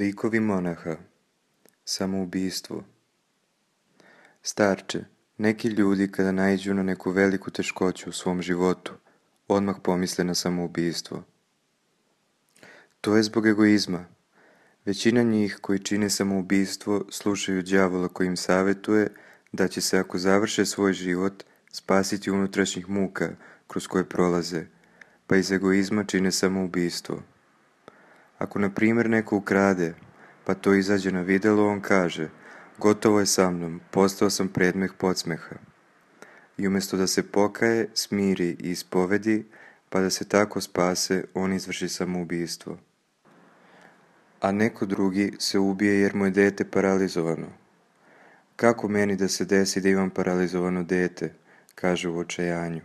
Likovi monaha. Samoubistvo. Starče, neki ljudi kada naiđu na neku veliku teškoću u svom životu, odmah pomisle na samoubistvo. To je zbog egoizma. Većina njih koji čine samoubistvo slušaju đavola koji im savjetuje da će se, ako završe svoj život, spasiti unutrašnjih muka kroz koje prolaze, pa iz egoizma čine samoubistvo. Ako, na primjer, neko ukrade, pa to izađe na videlo, on kaže: gotovo je sa mnom, postao sam predmet podsmeha. I umjesto da se pokaje, smiri i ispovedi, pa da se tako spase, on izvrši samoubistvo. A neko drugi se ubije jer mu je dete paralizovano. Kako meni da se desi da imam paralizovano dete, kaže u očajanju.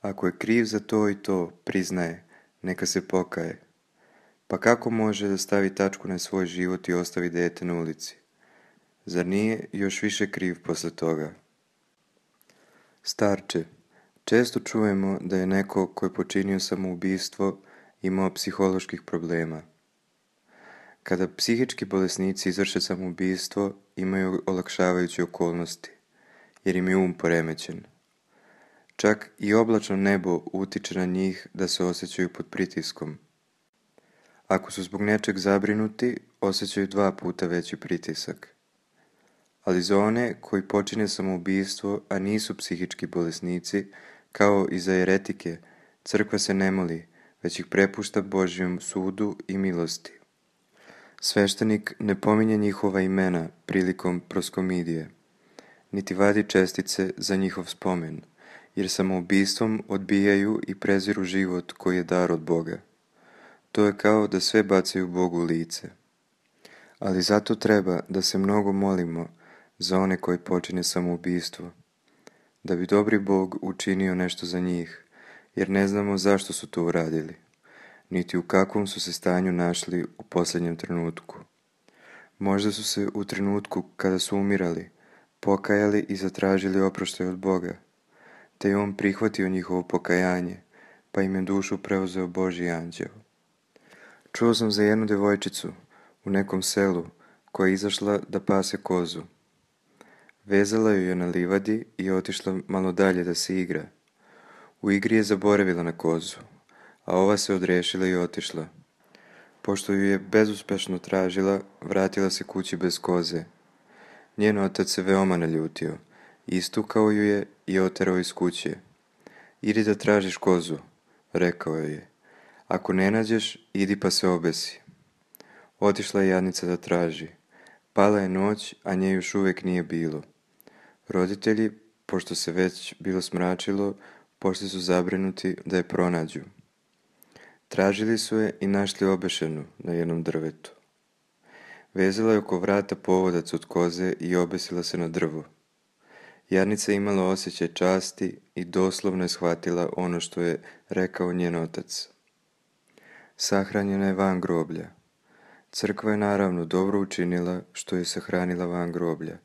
Ako je kriv za to i to, priznaje, neka se pokaje. Pa kako može da stavi tačku na svoj život i ostavi dete na ulici? Zar nije još više kriv posle toga? Starče, često čujemo da je neko ko je počinio samoubistvo imao psiholoških problema. Kada psihički bolesnici izvrše samoubistvo, imaju olakšavajuće okolnosti, jer im je poremećen. Čak i oblačno nebo utiče na njih da se osjećaju pod pritiskom. Ako su zbog nečeg zabrinuti, osjećaju 2 puta veći pritisak. Ali za one koji počine samoubistvo, a nisu psihički bolesnici, kao i za eretike, crkva se ne moli, već ih prepušta Božjem sudu i milosti. Sveštenik ne pominje njihova imena prilikom proskomidije, niti vadi čestice za njihov spomen, jer samoubistvom odbijaju i preziru život koji je dar od Boga. To je kao da sve bacaju Bogu u lice. Ali zato treba da se mnogo molimo za one koji počine samoubistvo, da bi dobri Bog učinio nešto za njih, jer ne znamo zašto su to uradili, niti u kakvom su se stanju našli u posljednjem trenutku. Možda su se u trenutku kada su umirali, pokajali i zatražili oproštaj od Boga, te je On prihvatio njihovo pokajanje, pa im je dušu preuzeo Božji anđeo. Čuo sam za jednu djevojčicu u nekom selu koja je izašla da pase kozu. Vezala ju je na livadi i otišla malo dalje da se igra. U igri je zaboravila na kozu, a ova se odrešila i otišla. Pošto ju je bezuspešno tražila, vratila se kući bez koze. Njen otac se veoma naljutio, istukao ju je i oterao iz kuće. Idi da tražiš kozu, rekao joj je. Ako ne nađeš, idi pa se obesi. Otišla je jadnica da traži. Pala je noć, a nje još uvijek nije bilo. Roditelji, pošto se već bilo smračilo, pošli su zabrinuti da je pronađu. Tražili su je i našli obešenu na jednom drvetu. Vezala je oko vrata povodac od koze i obesila se na drvo. Jadnica je imala osjećaj časti i doslovno je shvatila ono što je rekao njen otac. Sahranjena je van groblja. Crkva je naravno dobro učinila što je sahranila van groblja,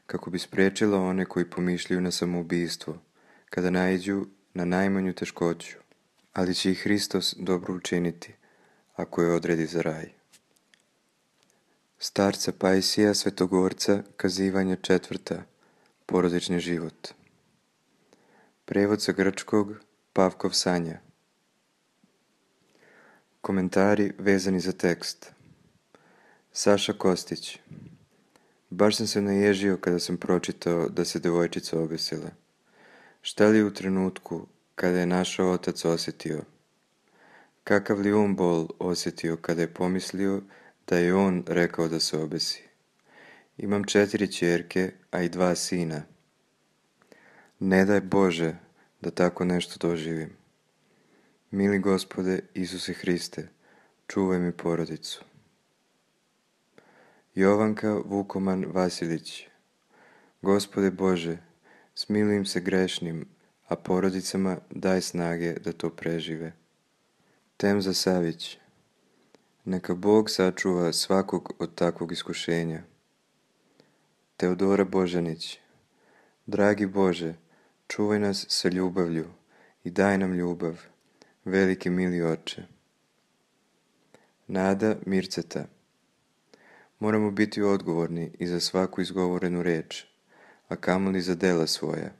kako bi spriječila one koji pomišljaju na samoubistvo, kada naiđu na najmanju teškoću, ali će i Hristos dobro učiniti, ako je odredi za raj. Starca Pajsija Svetogorca, kazivanje 4. Porodični život. Prevod sa grčkog, Pavkov Sanja. Komentari vezani za tekst. Saša Kostić. Baš sam se naježio kada sam pročitao da se devojčica obesila. Šta li u trenutku kada je našao otac osjetio? Kakav li bol osjetio kada je pomislio da je on rekao da se obesi? Imam 4 ćerke, a i 2 sina. Ne daj Bože da tako nešto doživim. Mili Gospode Isuse Hriste, čuvaj mi porodicu. Jovanka Vukoman Vasilić. Gospode Bože, smiluj im se grešnim, a porodicama daj snage da to prežive. Temza Savić. Neka Bog sačuva svakog od takvog iskušenja. Teodora Božanić. Dragi Bože, čuvaj nas sa ljubavlju i daj nam ljubav, veliki mili Oče. Nada Mirceta. Moramo biti odgovorni i za svaku izgovorenu reč, a kamoli za dela svoja.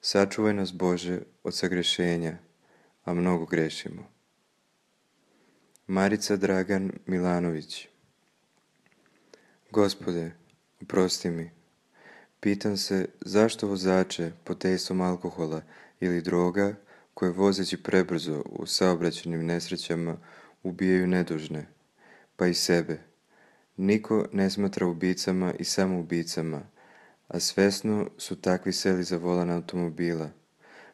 Sačuvaj nas, Bože, od sagrešenja, a mnogo grešimo. Marica Dragan Milanović. Gospode, oprosti mi. Pitam se zašto vozače pod dejstvom alkohola ili droga koje vozeći prebrzo u saobraćajnim nesrećama ubijaju nedužne, pa i sebe. Niko ne smatra ubicama i samoubicama, a svesno su takvi seli za volan automobila,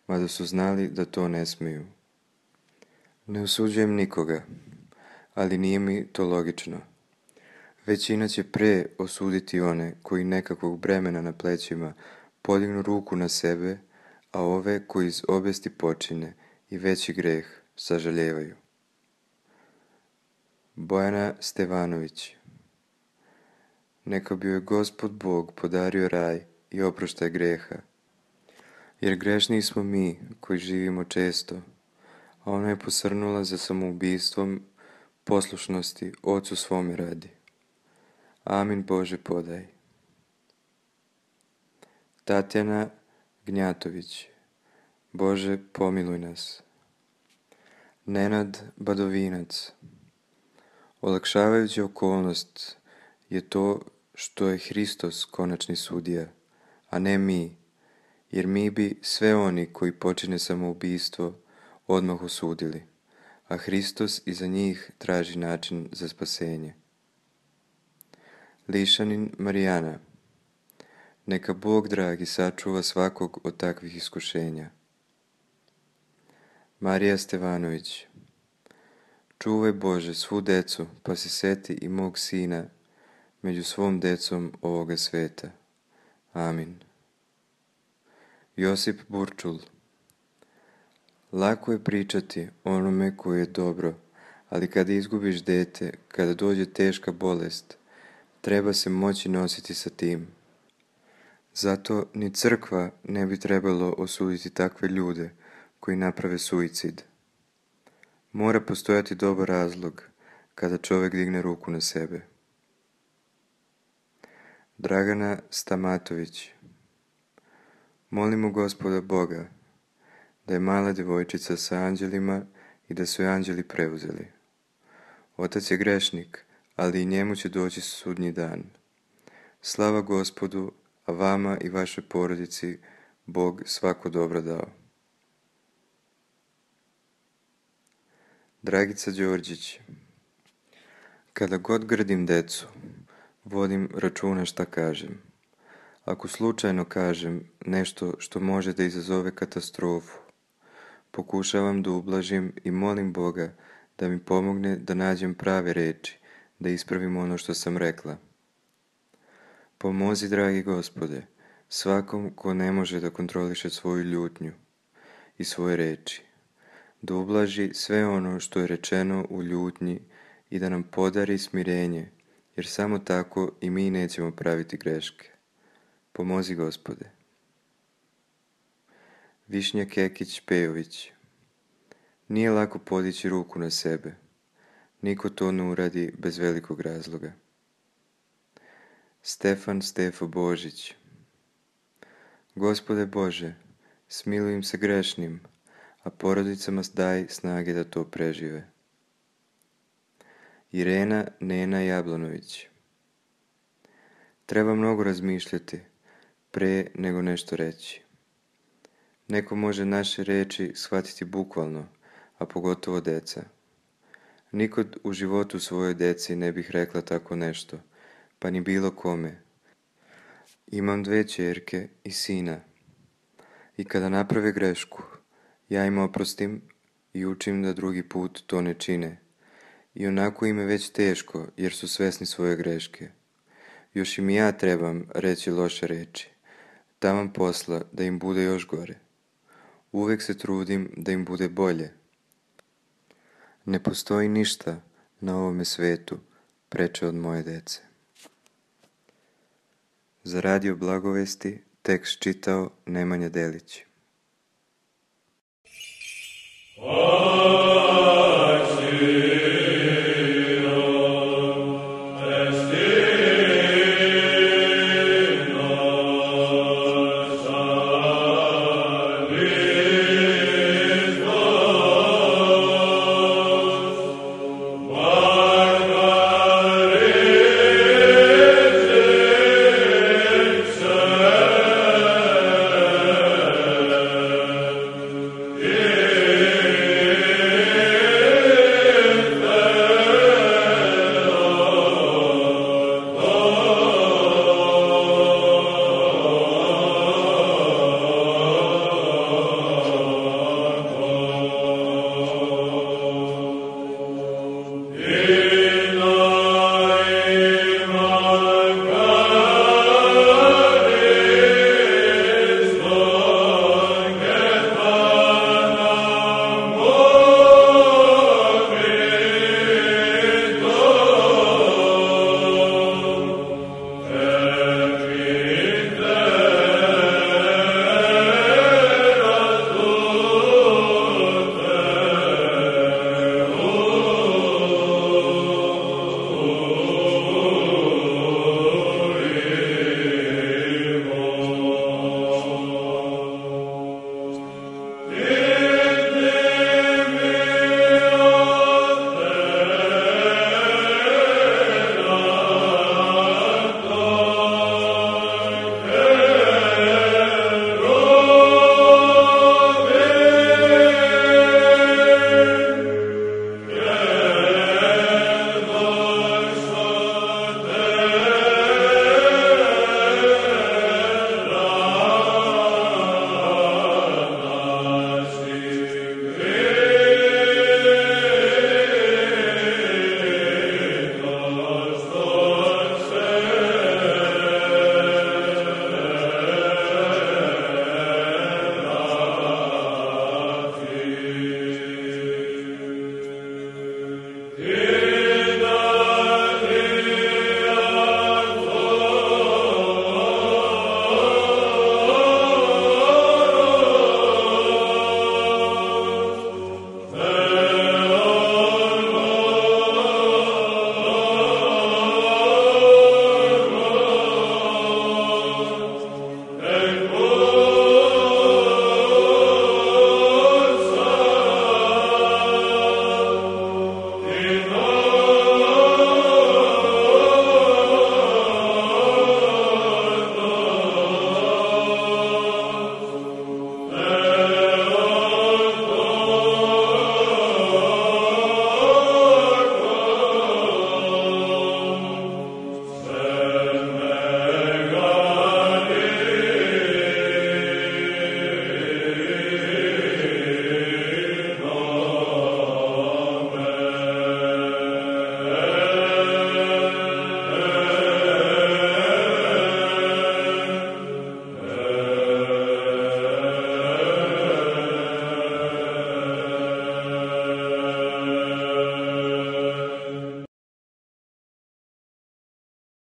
mada su znali da to ne smiju. Ne osuđujem nikoga, ali nije mi to logično. Većina će pre osuditi one koji nekakvog bremena na plećima podignu ruku na sebe, a ove koji iz obesti počine i veći greh sažaljevaju. Bojana Stevanović. Neka bi joj Gospod Bog podario raj i oproštaj greha, jer grešniji smo mi koji živimo često, a ona je posrnula za samoubistvom poslušnosti Ocu svome radi. Amin Bože podaj. Tatjana Gnjatović. Bože pomiluj nas. Nenad Badovinac. Olakšavajuća okolnost je to što je Hristos konačni sudija, a ne mi, jer mi bi sve oni koji počine samoubistvo odmah osudili, a Hristos iza njih traži način za spasenje. Lišanin Marijana. Neka Bog dragi sačuva svakog od takvih iskušenja. Marija Stevanović. Čuvaj Bože svu decu, pa se seti i mog sina među svom decom ovoga sveta. Amin. Josip Burčul. Lako je pričati onome koje je dobro, ali kada izgubiš dete, kada dođe teška bolest, treba se moći nositi sa tim. Zato ni crkva ne bi trebalo osuditi takve ljude koji naprave suicid. Mora postojati dobar razlog kada čovjek digne ruku na sebe. Dragana Stamatović. Molimo Gospoda Boga da je mala djevojčica sa anđelima i da su je anđeli preuzeli. Otac je grešnik, ali i njemu će doći sudnji dan. Slava Gospodu, a vama i vašoj porodici Bog svako dobro dao. Dragica Đorđić. Kada god grdim decu, vodim računa šta kažem. Ako slučajno kažem nešto što može da izazove katastrofu, pokušavam da ublažim i molim Boga da mi pomogne da nađem prave reči, da ispravim ono što sam rekla. Pomozi, dragi Gospode, svakom ko ne može da kontroliše svoju ljutnju i svoje reči, da ublaži sve ono što je rečeno u ljutnji i da nam podari smirenje, jer samo tako i mi nećemo praviti greške. Pomozi, Gospode. Višnja Kekić Pejović. Nije lako podići ruku na sebe. Niko to ne uradi bez velikog razloga. Stefo Božić. Gospode Bože, smiluj im se grešnim, a porodicama daj snage da to prežive. Irena Nena Jablanović. Treba mnogo razmišljati pre nego nešto reći. Neko može naše reči shvatiti bukvalno, a pogotovo deca. Nikod u životu svojoj deci ne bih rekla tako nešto, pa ni bilo kome. Imam 2 ćerke i sina. I kada naprave grešku, ja im oprostim i učim da drugi put to ne čine. I onako im je već teško jer su svesni svoje greške. Još im ja trebam reći loše reči. Taman posla da im bude još gore. Uvek se trudim da im bude bolje. Ne postoji ništa na ovome svetu preče od moje dece. Za Radio Blagovesti tekst čitao Nemanja Delić.